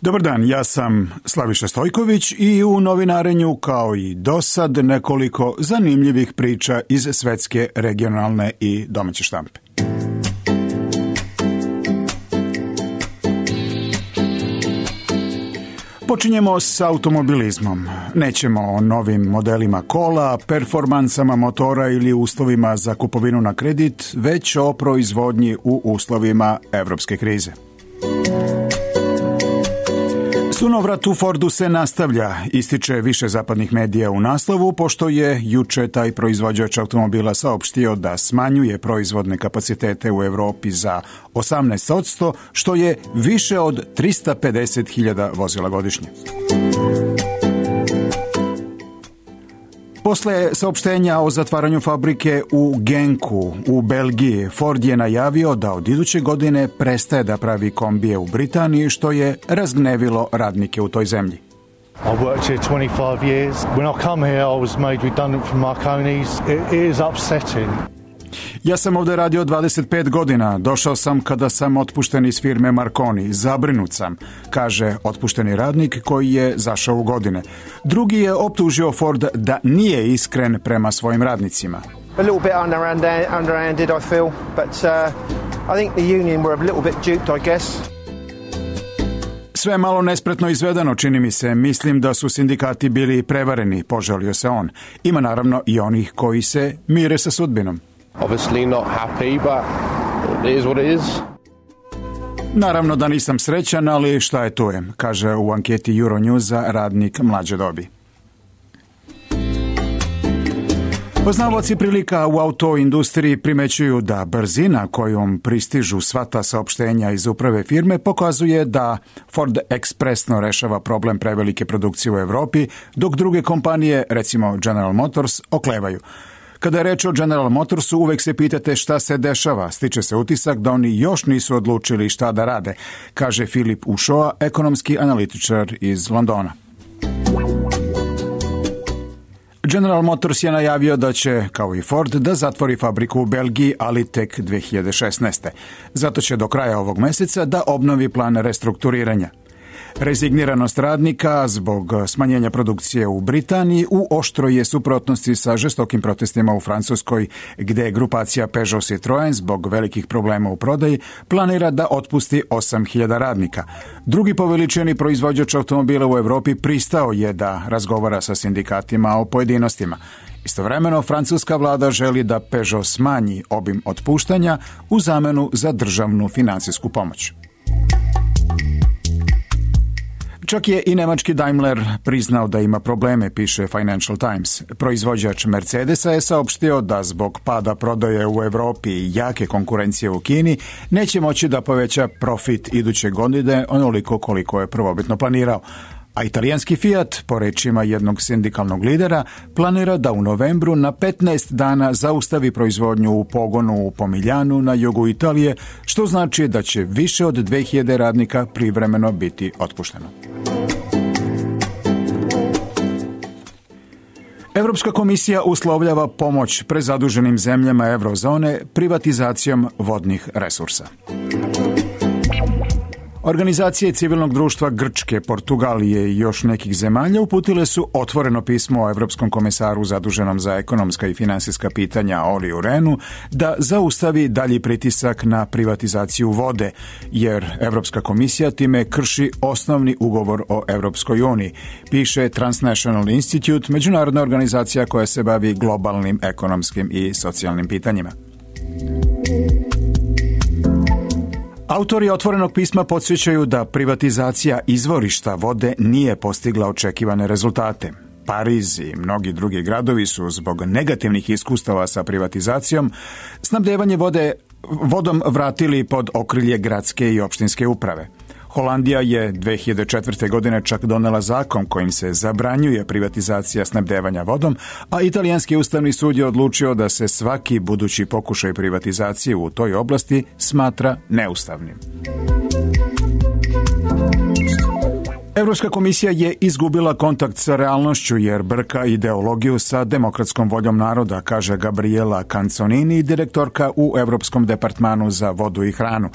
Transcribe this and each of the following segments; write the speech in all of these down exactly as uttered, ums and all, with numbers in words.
Dobar dan, ja sam Slaviša Stojković i u novinarenju kao i dosad nekoliko zanimljivih priča iz svetske, regionalne i domaće štampe. Počinjemo s automobilizmom. Nećemo o novim modelima kola, performansama motora ili uslovima za kupovinu na kredit, već o proizvodnji u uslovima evropske krize. Sunovrat u Fordu se nastavlja, ističe više zapadnih medija u naslovu, pošto je juče taj proizvođač automobila saopštio da smanjuje proizvodne kapacitete u Evropi za osamnaest posto, što je više od trista pedeset hiljada vozila godišnje. Posle saopštenja o zatvaranju fabrike u Genku u Belgiji, Ford je najavio da od iduće godine prestaje da pravi kombije u Britaniji, što je razgnevilo radnike u toj zemlji. I worked here twenty-five years. When I come here, I was made redundant from Marconi's. It, it is upsetting. Ja sam ovdje radio dvadeset pet godina. Došao sam kada sam otpušten iz firme Marconi. Zabrinut sam, kaže otpušteni radnik koji je zašao u godine. Drugi je optužio Ford da nije iskren prema svojim radnicima. A little bit underhanded, I feel, but uh, I think the union were a little bit duped, I guess. Sve malo nespretno izvedeno, čini mi se. Mislim da su sindikati bili prevareni, požalio se on. Ima naravno i onih koji se mire sa sudbinom. Obviously not happy, but it is what it is. Naravno da nisam srećan, ali šta je tu je, kaže u anketi Euronewsa radnik mlađe dobi. Poznavaoci prilika u autoindustriji primećuju da brzina kojom pristižu sva ta saopštenja iz uprave firme pokazuje da Ford ekspresno rešava problem prevelike produkcije u Evropi, dok druge kompanije, recimo General Motors, oklevaju. Kada je reč o General Motorsu, uvek se pitate šta se dešava. Stiče se utisak da oni još nisu odlučili šta da rade, kaže Filip Ušoa, ekonomski analitičar iz Londona. General Motors je najavio da će, kao i Ford, da zatvori fabriku u Belgiji, ali tek dve hiljade šesnaeste. Zato će do kraja ovog meseca da obnovi plan restrukturiranja. Rezigniranost radnika zbog smanjenja produkcije u Britaniji u oštroj je suprotnosti sa žestokim protestima u Francuskoj, gde grupacija Peugeot Citroën zbog velikih problema u prodaji planira da otpusti osam hiljada radnika. Drugi po veličini proizvođač automobila u Evropi pristao je da razgovara sa sindikatima o pojedinostima. Istovremeno, francuska vlada želi da Peugeot smanji obim otpuštanja u zamenu za državnu finansijsku pomoć. Čak je i nemački Daimler priznao da ima probleme, piše Financial Times. Proizvođač Mercedesa je saopštio da zbog pada prodaje u Evropi i jake konkurencije u Kini neće moći da poveća profit iduće godine onoliko koliko je prvobitno planirao. A italijanski Fiat, po rečima jednog sindikalnog lidera, planira da u novembru na petnaest dana zaustavi proizvodnju u pogonu u Pomiljanu na jugu Italije, što znači da će više od dve hiljade radnika privremeno biti otpušteno. Evropska komisija uslovljava pomoć prezaduženim zemljama eurozone privatizacijom vodnih resursa. Organizacije civilnog društva Grčke, Portugalije i još nekih zemalja uputile su otvoreno pismo o Evropskom komisaru zaduženom za ekonomska i finansijska pitanja Oliju Renu da zaustavi dalji pritisak na privatizaciju vode, jer Evropska komisija time krši osnovni ugovor o Evropskoj uniji, piše Transnational Institute, međunarodna organizacija koja se bavi globalnim ekonomskim i socijalnim pitanjima. Autori otvorenog pisma podsjećaju da privatizacija izvorišta vode nije postigla očekivane rezultate. Pariz i mnogi drugi gradovi su zbog negativnih iskustava sa privatizacijom snabdevanje vode, vodom vratili pod okrilje gradske i opštinske uprave. Holandija je dve hiljade četvrte. godine čak donela zakon kojim se zabranjuje privatizacija snabdevanja vodom, a italijanski ustavni sud je odlučio da se svaki budući pokušaj privatizacije u toj oblasti smatra neustavnim. Evropska komisija je izgubila kontakt sa realnošću jer brka ideologiju sa demokratskom voljom naroda, kaže Gabriela Canzonini, direktorka u Evropskom departmanu za vodu i hranu.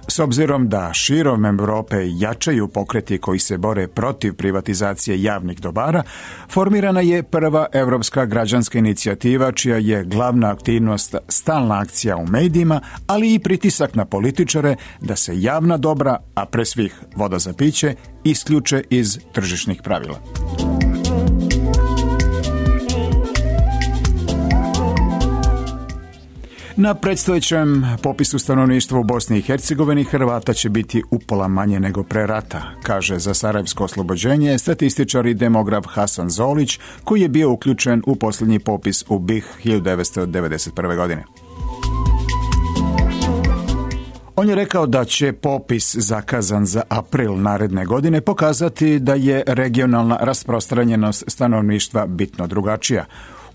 S obzirom da širom Europe jačaju pokreti koji se bore protiv privatizacije javnih dobara, formirana je prva evropska građanska inicijativa čija je glavna aktivnost stalna akcija u medijima, ali i pritisak na političare da se javna dobra, a pre svih voda za piće, isključe iz tržišnih pravila. Na predstojećem popisu stanovništva u Bosni i Hercegovini Hrvata će biti upola manje nego pre rata, kaže za Sarajevsko oslobođenje statističar i demograf Hasan Zolić, koji je bio uključen u posljednji popis u B i H hiljadu devetsto devedeset prve. godine. On je rekao da će popis zakazan za april naredne godine pokazati da je regionalna rasprostranjenost stanovništva bitno drugačija.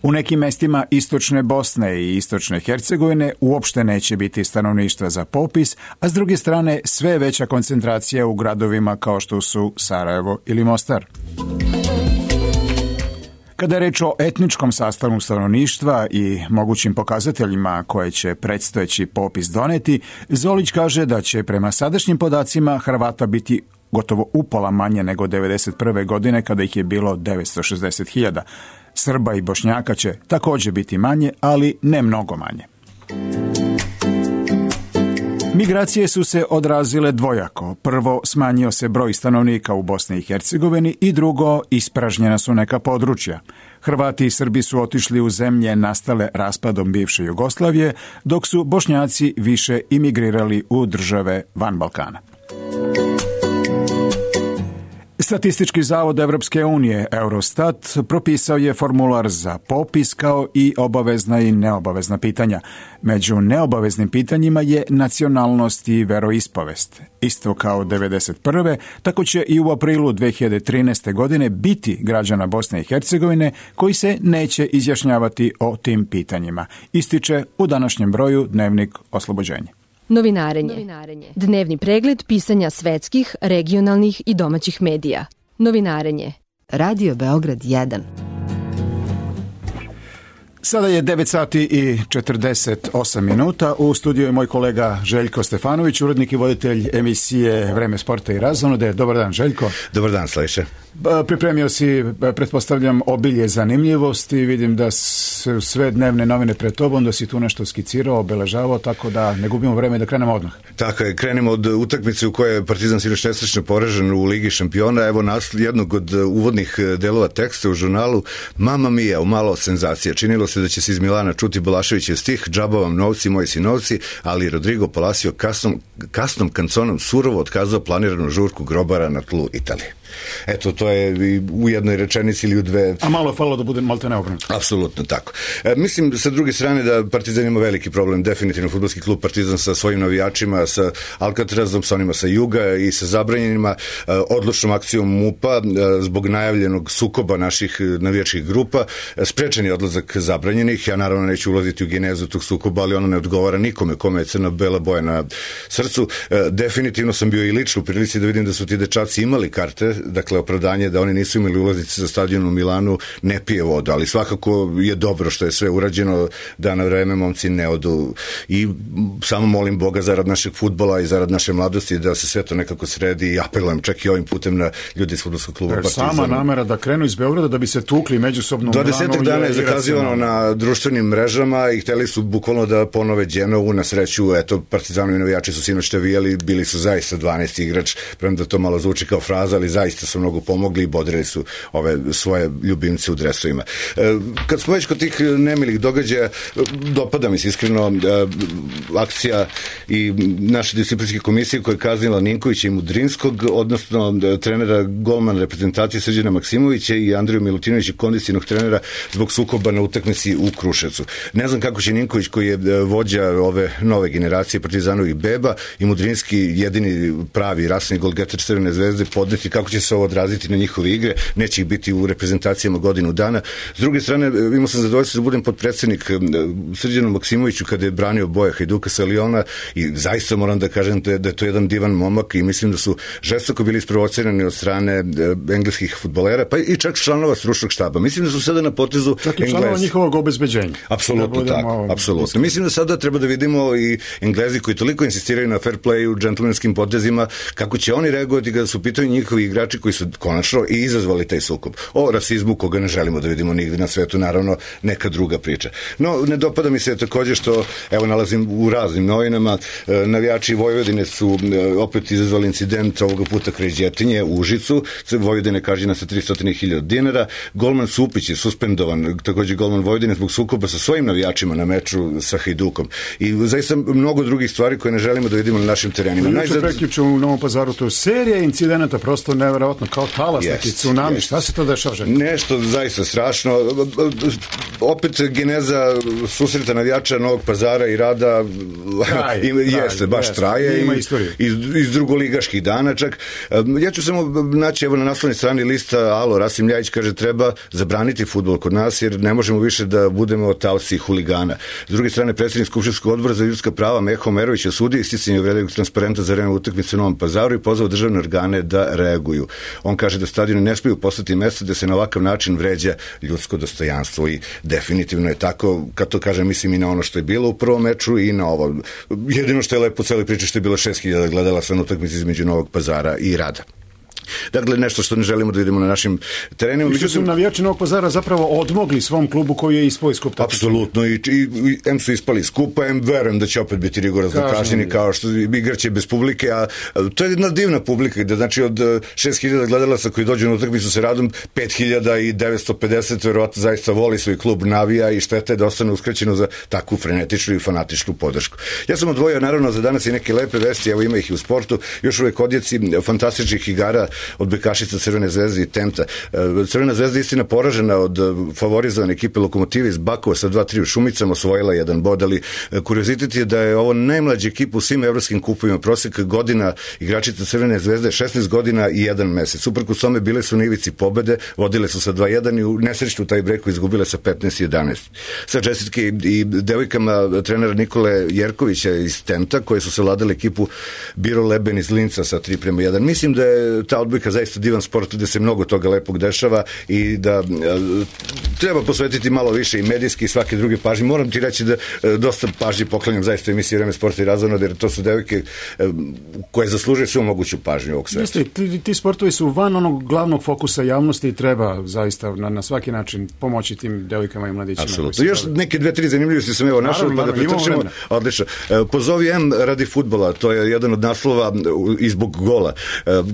U nekim mestima istočne Bosne i istočne Hercegovine uopšte neće biti stanovništva za popis, a s druge strane sve veća koncentracija u gradovima kao što su Sarajevo ili Mostar. Kada je reč o etničkom sastavu stanovništva i mogućim pokazateljima koje će predstojeći popis doneti, Zolić kaže da će prema sadašnjim podacima Hrvata biti gotovo upola manje nego devedeset prve. godine kada ih je bilo devetsto šezdeset hiljada. Srba i Bošnjaka će također biti manje, ali ne mnogo manje. Migracije su se odrazile dvojako. Prvo, smanjio se broj stanovnika u Bosni i Hercegovini i drugo, ispražnjena su neka područja. Hrvati i Srbi su otišli u zemlje nastale raspadom bivše Jugoslavije, dok su Bošnjaci više imigrirali u države van Balkana. Statistički zavod Evropske unije, Eurostat, propisao je formular za popis kao i obavezna i neobavezna pitanja. Među neobaveznim pitanjima je nacionalnost i veroispovest. Isto kao devedeset prve. tako će i u aprilu dve hiljade trinaeste. godine biti građana Bosne i Hercegovine koji se neće izjašnjavati o tim pitanjima, ističe u današnjem broju Dnevnik Oslobođenje. Novinarenje. Novinarenje. Dnevni pregled pisanja svetskih, regionalnih i domaćih medija. Novinarenje. Radio Beograd jedan. Sada je devet sati i četrdeset osam minuta. U studiju je moj kolega Željko Stefanović, urednik i voditelj emisije Vreme sporta i razonude. Dobar dan, Željko. Dobar dan, Slaviše. Pripremio si, pretpostavljam, obilje zanimljivosti. Vidim da su sve dnevne novine pred tobom, da si tu nešto skicirao, obeležavao, tako da ne gubimo vreme da krenemo odmah. Tako je, krenemo od utakmice u kojoj je Partizan sinoć nesrećno poražen u Ligi šampiona. Evo nas jednog od uvodnih delova teksta u žurnalu. Mama mia, malo senzacija. Činilo se da će se iz Milana čuti Balaševićev stih "Džaba vam novci, moji sinovci", ali Rodrigo Palacio kasnom, kasnom kanconom surovo otkazao planiranu žurku grobara na tlu Italije. Eto, to je u jednoj rečenici ili u dve. A malo je falilo da bude malte neobrnuto. Apsolutno tako. E, mislim, sa druge strane, da Partizan ima veliki problem, definitivno fudbalski klub Partizan sa svojim navijačima, sa Alcatrazom, sa onima sa juga i sa zabranjenima, e, odlučnom akcijom MUP-a, e, zbog najavljenog sukoba naših navijačkih grupa, e, sprečen je odlazak zabranjenih. Ja naravno neću ulaziti u genezu tog sukoba, ali ono ne odgovara nikome kome je crno-bela boja na srcu. E, definitivno sam bio i lično u prilici da vidim da su ti dečaci imali karte, dakle opravdanje da oni nisu imali ulaznice za stadion u Milanu, ne pije vodu, ali svakako je dobro što je sve urađeno, da na vreme momci ne odu, i samo molim Boga zarad našeg fudbala i zarad naše mladosti da se sve to nekako sredi, i apelujem čak i ovim putem na ljudi iz fudbalskog kluba Partizan. Sama namera da krenu iz Beograda da bi se tukli međusobno u Milanu. dvadeset dana je zakazivano na društvenim mrežama i hteli su bukvalno da ponove Genovu. Na sreću, eto, Partizanovi navijači su sinoć navijali, bili su zaista dvanaesti igrač, premda to malo zvuči kao fraza, ali zaista su mnogo pomogli i bodrili su ove svoje ljubimce u dresovima. E, kad smo već kod tih nemilih događaja, dopada mi se iskreno e, akcija i naše disciplinske komisije koja je kaznila Ninkovića i Mudrinskog, odnosno trenera golmana reprezentacije Srđana Maksimovića i Andriju Milutinovića, kondicionog trenera, zbog sukoba na utakmici u Kruševcu. Ne znam kako će Ninković, koji je vođa ove nove generacije Partizanovih beba, i Mudrinski, jedini pravi rasni golgeter Crvene zvezde, podneti, kako će će se ovo odraziti na njihove igre, neće ih biti u reprezentacijama godinu dana. S druge strane, imao sam zadovoljstvo da budem podpredsednik Srđanu Maksimoviću kada je branio boje Hajduka sa Liona i zaista moram da kažem da je, da je to jedan divan momak i mislim da su žestoko bili isprovocirani od strane engleskih fudbalera, pa i čak članova stručnog štaba. Mislim da su sada na potezu čak i članova njihovog obezbeđenja. Apsolutno da tako, apsolutno. Mislim da sada treba da vidimo i Englezi koji toliko insistiraju na fair playu, džentlmenskim potezima, kako će oni reagovati kada su pitaju njihovi igrači koji su konačno i izazvali taj sukob. O rasizmu koga ne želimo da vidimo nigde na svetu, naravno neka druga priča. No, ne dopada mi se takođe što, evo, nalazim u raznim novinama, navijači Vojvodine su opet izazvali incident ovoga puta kraj Đetinje u Užicu, Vojvodine kažnjena sa tristo hiljada dinara, golman Supić je suspendovan, takođe golman Vojvodine zbog sukoba sa svojim navijačima na meču sa Hajdukom. I zaista mnogo drugih stvari koje ne želimo da vidimo na našim terenima. Najzad... Prekjuče u Novom Pazaru, to je serija incidenata, prosto neverovatno, kao talas, yes, neki tsunami. Yes. Šta se to dešava? Nešto zaista strašno. Opet geneza susreta navijača Novog Pazara i Rada traje, ima, traje, jeste, baš jeste, traje ima istoriju. Iz, iz drugoligaških dana čak. Ja ću samo naći, evo na naslovnoj strani lista Alo, Rasim Ljajić kaže treba zabraniti fudbal kod nas jer ne možemo više da budemo talci i huligana. S druge strane, predsjednik Skupštinskog odbora za ljudska prava Meho Merović osudio isticanje uvredljivog transparenta za vreme utakmice u Novom Pazaru i pozvao državne organe da reaguju. On kaže da stadioni ne smiju postati mesto da se na ovakav način vređa ljudsko dostojanstvo i definitivno je tako, kad to kažem, mislim i na ono što je bilo u prvom meču i na ovo. Jedino što je lepo u celoj priči što je bilo šest hiljada gledala sa utakmici između Novog Pazara i Rada. Dakle, nešto što ne želimo da vidimo na našim terenima. I što su navijači Novog Pazara zapravo odmogli svom klubu koji je ispao iz kupa. Apsolutno, i, i, i em su ispali iz kupa, em verujem da će opet biti rigorozno kažnjeni, kao što igraće bez publike, a to je jedna divna publika, da znači od šest hiljada gledalaca koji dođu na utakmicu sa Radom, pet hiljada devetsto pedeset verovatno zaista voli svoj klub, navija i šteta je da ostane uskraćeno za takvu frenetičnu i fanatičnu podršku. Ja sam odvojio naravno za danas i neke lepe vesti, evo ima ih i u sportu, još uvek odjeci fantastičnih igara od bekašica Crvene zvezde i Tenta. Crvena zvezda istina poražena od favorizovane ekipe Lokomotive iz Bakova sa dva tri u Šumicama, osvojila jedan bod, ali kuriozitet je da je ovo najmlađa ekipa u svim evropskim kupovima. Prosek godina igračica Crvene zvezde šesnaest godina i jedan mesec. Uprkos tome bile su na ivici pobede, vodile su sa dva jedan i u nesrećnu taj breku izgubile sa petnaest jedanaest. Sa čestitke i devojkama trenera Nikole Jerkovića iz Tenta, koje su savladale ekipu Biro Leben iz Linca sa tri prema jedan. Mislim da je ta odbojka zaista divan sport, gde se mnogo toga lepog dešava i da a, treba posvetiti malo više i medijski i svake druge pažnje. Moram ti reći da a, dosta pažnje poklanjam zaista emisiji Vreme sporta i razvojno, jer to su devojke a, koje zaslužuju svu moguću pažnju ovog sveta. Jeste, ti, ti sportovi su van onog glavnog fokusa javnosti i treba zaista na, na svaki način pomoći tim devojkama i mladićima. Apsolutno. Još neke dve, tri zanimljivosti sam evo našao, pa da pretrčimo. Odlično. Pozovi M radi fudbala, to je jedan od naslova i zbog gola.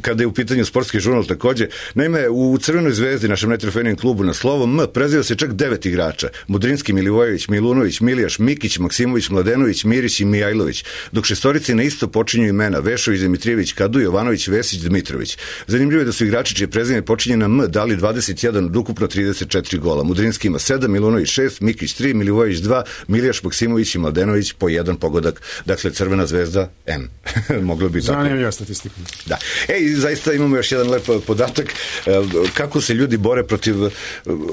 Kada je u pitanju sportski žurnal takođe. Naime, u Crvenoj zvezdi, našem najtrofejnijem klubu na slovo M, preziva se čak devet igrača. Mudrinski, Milivojević, Milunović, Milijaš, Mikić, Maksimović, Mladenović, Mirić i Mijajlović. Dok šestorici na isto počinju imena Vešović, Dimitrijević, Kadu, Jovanović, Vesić, Dmitrović. Zanimljivo je da su igrači čije prezime počinje na M dali dvadeset jedan od ukupno trideset četiri gola. Mudrinski ima sedam, Milunović šest, Mikić tri, Milivojević dva, Milijaš, Maksimović i Mladenović po jedan pogodak. Dakle, Crvena zvezda M. Moglo bi tako. Zanimljiva statistika. Da. Ej, zaista imamo još jedan lep podatak kako se ljudi bore protiv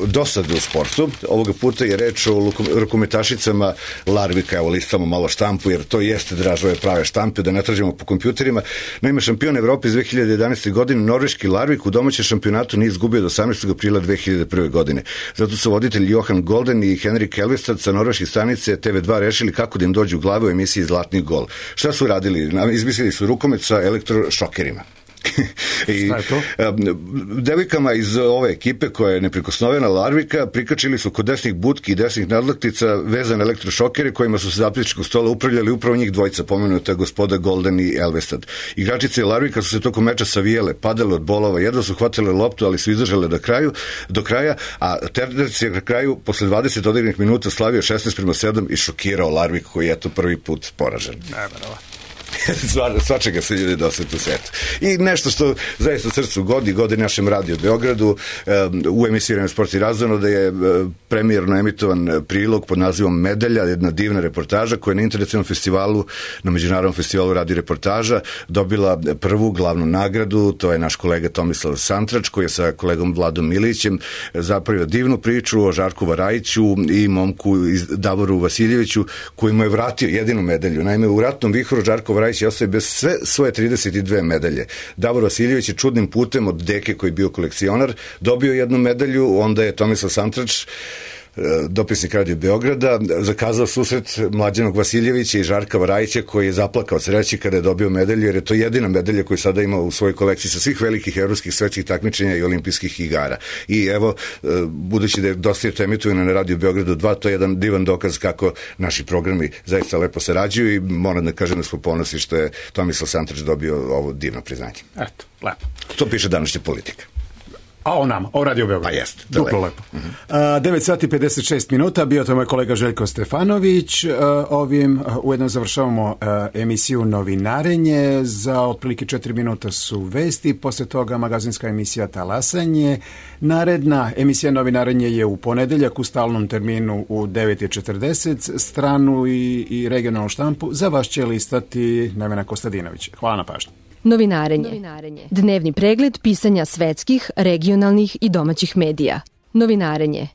dosade u sportu. Ovoga puta je reč o rukometašicama Larvika. Evo listamo malo štampu, jer to jeste dražove prave štampe, da ne tražimo po kompjuterima. Naime, šampion Evrope iz dve hiljade jedanaeste. godine, norveški Larvik u domaćem šampionatu nije izgubio do osamnaestog aprila dve hiljade prve. godine. Zato su voditelji Johan Golden i Henrik Elvestad sa norveške stanice te ve dva rešili kako da im dođu u glavu u emisiji Zlatni gol. Šta su radili? Izmislili su rukomet sa elektrošokerima. I devojkama iz ove ekipe koja je neprikosnovena Larvika prikačili su kod desnih butki i desnih nadlaktica vezane elektrošokere kojima su se zapisničkog stola upravljali upravo njih dvojica, pomenuta gospoda Golden i Elvestad. Igračice Larvika su se tokom meča savijele, padale od bolova, jedva su hvatile loptu, ali su izdržale do kraju, do kraja, a Terdac je na kraju posle dvadeset odigranih minuta slavio šesnaest prema sedam i šokirao Larvik koji je to prvi put poražen. Neverovatno. svačega se ljudi doseti u svetu. I nešto što zaista srcu godi, godi našem radiju Beogradu, u emisiji Sport i razvojno, da je premijerno emitovan prilog pod nazivom Medalja, jedna divna reportaža koja je na internacionalnom festivalu, na međunarodnom festivalu radio reportaža dobila prvu glavnu nagradu. To je naš kolega Tomislav Santrač koji je sa kolegom Vladom Milićem zapravio divnu priču o Žarku Varajiću i momku Davoru Vasiljeviću koji mu je vratio jedinu medalju. Naime, u ratnom vihoru Žarko Varajić je ostao bez sve svoje trideset dve medalje. Davor Vasiljević je čudnim putem od deke koji je bio kolekcionar dobio jednu medalju, onda je Tomislav Santrač, dopisnik Radio Beograda, zakazao susret Mlađanog Vasiljevića i Žarka Varajića koji je zaplakao od sreće kada je dobio medalju, jer je to jedina medalja koju sada ima u svojoj kolekciji sa svih velikih evropskih svetskih takmičenja i olimpijskih igara. I evo, budući da je dosta je to emitovano na Radio Beogradu dva, to je jedan divan dokaz kako naši programi zaista lepo sarađuju i moram da kažem da smo ponosni što je Tomislav Santrač dobio ovo divno priznanje. Eto, lepo. To piše današnja Politika. A o nama, o Radio Beograd. Pa jeste. Duplo lepo. Uh-huh. Uh, devet sati pedeset šest minuta, bio to moj kolega Željko Stefanović. Uh, ovim uh, ujedno završavamo uh, emisiju Novinarenje. Za otprilike četiri minuta su vesti, posle toga magazinska emisija Talasanje. Naredna emisija Novinarenje je u ponedeljak u stalnom terminu u devet četrdeset. Stranu i, i regionalnu štampu za vas će listati Nevena Kostadinović. Hvala na pažnju. Novinarenje. Novinarenje. Dnevni pregled pisanja svetskih, regionalnih i domaćih medija. Novinarenje.